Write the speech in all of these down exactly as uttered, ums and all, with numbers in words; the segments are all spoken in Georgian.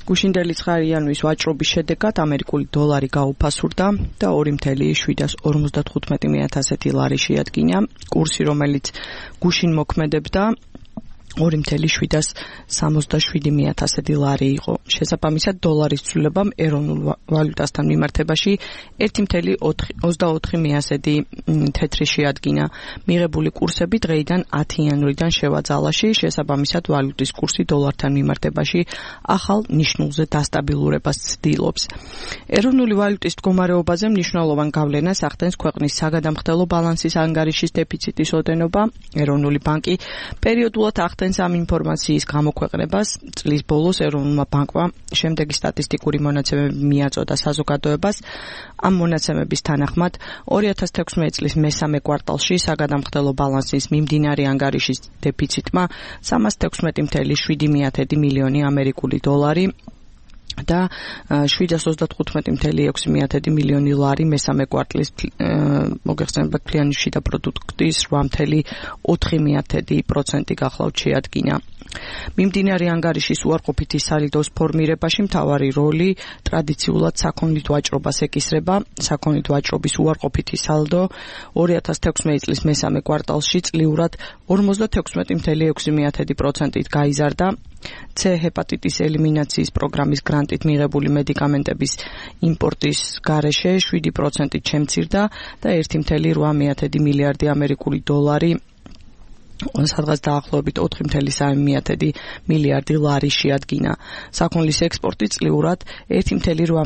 გუშინდელი ცხრა იანვრის ვაჭრობის შედეგად ამერიკული დოლარი გაუფასურდა და ორი ათეული ოცდათხუთმეტი ასეთი ლარი შეადგინა. კურსი, რომელიც გუშინ მოქმედებდა, ორი ათეული სამოცდაშვიდი ასეთი ლარი იყო. შესაბამისად, დოლარის ცვლილებამ ეროვნულ ვალუტასთან მიმართებაში ერთი ათეული ოცდაოთხი ასეთი თეთრი შეადგინა. მიღებული კურსები დღეიდან ათი იანვრიდან შევაძალაში, შესაბამისად, ვალუტის კურსი დოლართან მიმართებაში ახალ ნიშნულზე დასტაბილურებას ცდილობს. ეროვნული ვალუტის მდგომარეობაზე მნიშვნელოვან გავლენას ახდენს ქვეყნის საგადამხდელო ბალანსის ანგარიშის დეფიციტის ოდენობა. ეროვნული ბანკი პერიოდულად ახდენს ამ ინფორმაციის გამოქვეყნებას. წლის ბოლოს ეროვნულმა ბანკმა შემდეგი სტატისტიკური მონაცემები მიაწოდა საზოგადოებას. ამ მონაცემების თანახმად ორი ათას თექვსმეტი წლის მესამე კვარტალში საგადამხდელო ბალანსის მიმდინარე ანგარიშის დეფიციტმა სამას თექვსმეტი ათეული შვიდი მილიონი ამერიკული დოლარი და შვიდას ოცდათხუთმეტი ათეული ექვსი მილიონი ლარი მესამე კვარტლის მოგეხსენებათ ფლიანი შიდა პროდუქტის რვა ათეული ოთხი პროცენტი გახლავთ შეადგინა. მიმდინარე ანგარიშის უარყოფითი სალიდოს ფორმირებაში მთავარი როლი ტრადიციულად საქონლით ვაჭრობას ეკისრება. საქონლით ვაჭრობის უარყოფითი სალდო ორი ათას თექვსმეტი წლის მესამე კვარტალში წლიურად ორმოცდათექვსმეტი ათეული ექვსი პროცენტით გაიზარდა. C ჰეპატიტის ელიმინაციის პროგრამის გრანტით მიღებული მედიკამენტების იმპორტის გარეშე შვიდი პროცენტით შემცირდა და ერთი ათეული რვა მილიარდი ამერიკული დოლარი სადღაც დაახლოებით ოთხი ათეული სამი მილიარდი ლარი შეადგინა. საქონლის ექსპორტი წლიურად ერთი ათეული რვა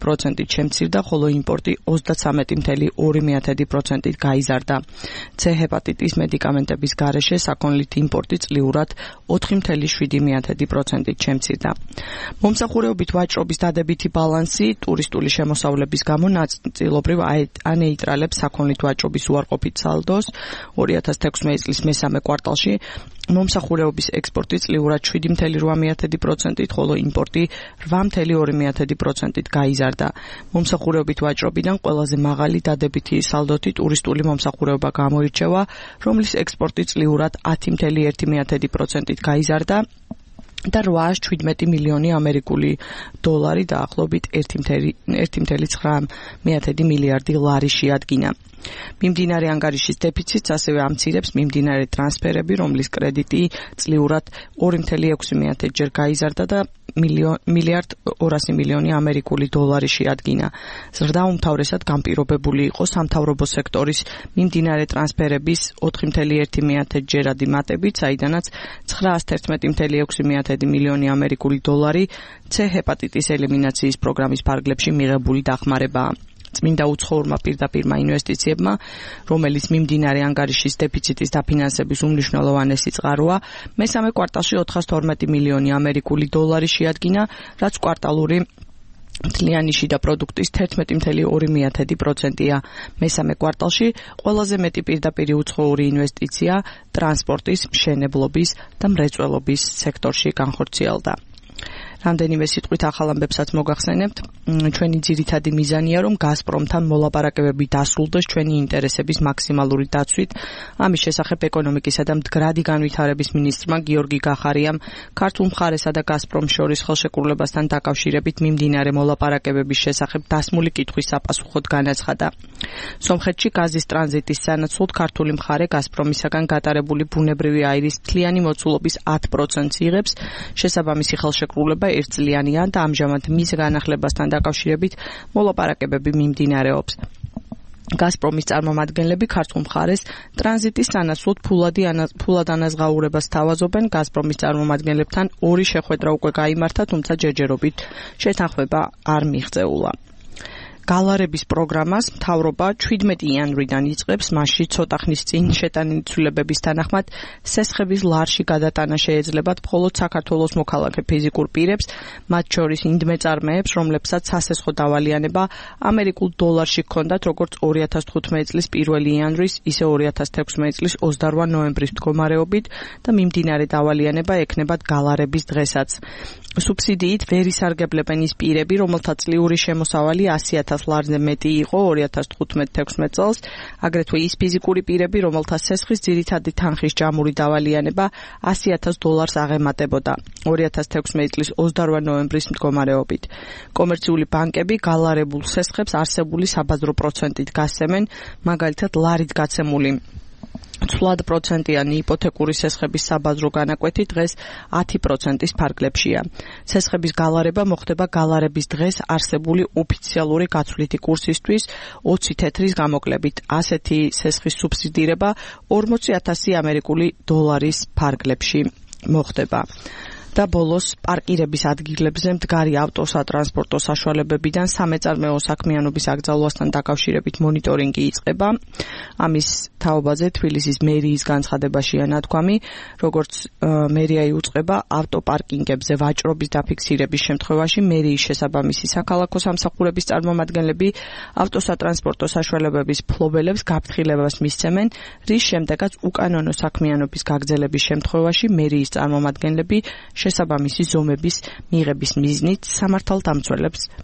პროცენტით შემცირდა, ხოლო იმპორტი ოცდათრამეტი ათეული ორი პროცენტით გაიზარდა. C ჰეპატიტის მედიკამენტების გარეშე საქონლით იმპორტი წლიურად ოთხი ათეული შვიდი პროცენტით შემცირდა. მომსახურეობით ვაჭრობის დადებითი ბალანსი ტურისტული შემოსავლების გამო ნაწილობრივ ანეიტრალებს საქონლით ვაჭრობის უარყოფით სალდოს. ორი ათას თექვსმეტი წლის მესამე კვარტალში მომსახურეობის ექსპორტი წლიურად შვიდი ათეული რვა პროცენტით, ხოლო იმპორტი რვა ათეული ორი პროცენტით გაიზარდა. მომსახურეობით ვაჭრობიდან ყველაზე მაღალი დადებითი სალდოთი ტურისტული მომსახურეობა გამოირჩევა, რომლის ექსპორტი წლიურად ათი ათეული ერთი პროცენტით გაიზარდა და რვაას შვიდმეტი მილიონი ამერიკული დოლარი დაახლოებით ერთი ათეული ცხრა მილიარდი ლარი შეადგინა. მიმდინარე ანგარიშის დეფიციტს ასევე ამცირებს მიმდინარე ტრანსფერები, რომლის კრედიტი წლიურად ორი ათეული ექვსი ჯერ გაიზარდა და მილიარდ ორასი მილიონი ამერიკული დოლარი შეადგინა. ზრდა უმთავრესად განპირობებული იყო სამთავრობო სექტორის მიმდინარე ტრანსფერების ოთხი ათეული ერთი ჯერადი მატებით, საიდანაც ცხრაას თერთმეტი ათეული ექვსი მილიონი ამერიკული დოლარი C ჰეპატიტის ელიმინაციის პროგრამის ფარგლებში მიღებული დახმარებაა. წმინდა უცხოურმა პირდაპირმა ინვესტიციებმა, რომელიც მიმდინარე ანგარიშის დეფიციტის დაფინანსების უმნიშვნელოვანესი წყაროა, მესამე კვარტალში ოთხას თორმეტი მილიონი ამერიკული დოლარი შეადგინა, რაც კვარტალური მთლიანი შიდა პროდუქტის თერთმეტი ათეული ორი პროცენტია. მესამე კვარტალში ყველაზე მეტი პირდაპირი უცხოური ინვესტიცია ტრანსპორტის, მშენებლობის და მრეწველობის სექტორში განხორციელდა. რამდენიმე სიტყვით ახალ ამბებსაც მოგახსენებთ. ჩვენი ძირითადი მიზანია, რომ გაზპრომთან მოლაპარაკებები დასრულდეს ჩვენი ინტერესების მაქსიმალური დაცვით. ამის შესახებ ეკონომიკისა და მდგრადი განვითარების მინისტრმა გიორგი გახარიამ ქართულ მხარესა და გაზპრომს შორის ხელშეკრულებასთან დაკავშირებით მიმდინარე მოლაპარაკებების შესახებ დასმული კითხვის საპასუხოდ განაცხადა. სომხეთში გაზის ტრანზიტის სანაცვლოდ ქართული მხარე გაზპრომისაგან გატარებული ბუნებრივი აირის მთლიანი მოცულობის ათ პროცენტს იღებს. შესაბამისი ხელშეკრულება ერთწლიანია და ამჟამად მის განახლებასთან დაკავშირებით მოლაპარაკებები მიმდინარეობს. გაზპრომის წარმომადგენლები ქართულ მხარეს ტრანზიტის სანაცვლოდ ფულად ანაზღაურებას თავაზობენ. გაზპრომის წარმომადგენლებთან ორი შეხვედრა უკვე გაიმართა, თუმცა ჯერჯერობით შეთანხმება არ მიღწეულა. გალარების პროგრამას მთავრობა ჩვიდმეტი იანვრიდან იწყებს, მასში ცოტა ხნის წინ შეტანილი ცვლილებების თანახმად სესხების ლარში გადატანა შეეძლებათ მხოლოდ საქართველოს მოქალაქე ფიზიკურ პირებს, მათ შორის ინდმეწარმეებს, რომლებსაც სასესხო დავალიანება ამერიკულ დოლარში ჰქონდათ როგორც ორი ათას თხუთმეტი წლის პირველი იანვრის, ისე ორი ათას თექვსმეტი წლის ოცდარვა ნოემბრის მდგომარეობით და მიმდინარე დავალიანება ექნებათ გალარების დღესაც. სუბსიდიით ვერ ისარგებლებენ ის პირები, რომელთა წლიური შემოსავალი ასი ათას ლარზე მეტი იყო ორი ათას თხუთმეტ თექვსმეტ წელს, აგრეთვე ის ფიზიკური პირები, რომელთა სესხის ძირითადი თანხის ჯამური დავალიანება ასი ათას დოლარს აღემატებოდა ორი ათას თექვსმეტი წლის ოცდაორი ნოემბრის მდგომარეობით. კომერციული ბანკები გალარებულ სესხებს არსებული საბაზრო პროცენტით გასცემენ, მაგალითად ლარით გაცემული ცვლად პროცენტიანი იპოთეკური სესხების საბაზრო განაკვეთი დღეს ათი პროცენტის ფარგლებშია. სესხების გალარება მოხდება გალარების დღეს არსებული ოფიციალური გაცვლითი კურსისთვის ოცი თეთრის გამოკლებით. ასეთი სესხის სუბსიდირება ორმოცი ათასი ამერიკული დოლარის ფარგლებში მოხდება. და ბოლოს პარკირების ადგილებზე მდგარი ავტოსატრანსპორტო საშუალებებიდან სამეწარმეო საქმიანობის აკრძალვასთან დაკავშირებით მონიტორინგი იწყება. ამის თაობაზე თბილისის მერიის განცხადებაშია ნათქვამი, როგორც მერია იუწყება ავტოპარკინგებზე ვაჭრობის დაფიქსირების შემთხვევაში მერიის შესაბამისი საქალაქო სამსახურების წარმომადგენლები ავტოსატრანსპორტო საშუალებების მფლობელებს გაფრთხილებას მისცემენ, რის შემდეგაც უკანონო საქმიანობის გაგრძელების შემთხვევაში მერიის წარმომადგენლები შესაბამისი ზომების მიღების მიზნით სამართალდამცველებს